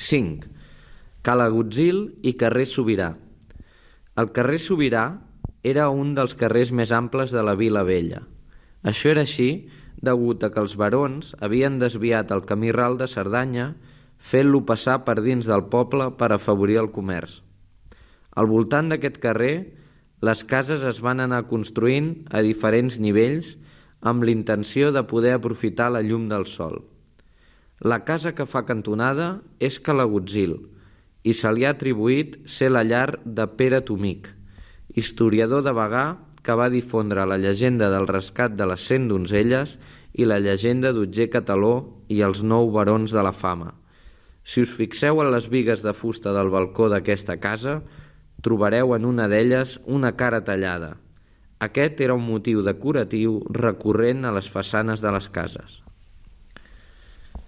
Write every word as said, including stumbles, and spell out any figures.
cinc. Cala Gutzil i carrer Sobirà. El carrer Sobirà era un dels carrers més amples de la Vila Vella. Això era així degut a que els barons havien desviat el camí ral de Cerdanya fent-lo passar per dins del poble per afavorir el comerç. Al voltant d'aquest carrer, les cases es van anar construint a diferents nivells amb l'intenció de poder aprofitar la llum del sol. La casa que fa cantonada és Cala Gutzil i se li ha atribuït ser la llar de Pere Tomic, historiador de Bagà que va difondre la llegenda del rescat de les cent donzelles i la llegenda d'Otger Cataló i els nou barons de la fama. Si us fixeu en les bigues de fusta del balcó d'aquesta casa, trobareu en una d'elles una cara tallada. Aquest era un motiu decoratiu recurrent a les façanes de les cases.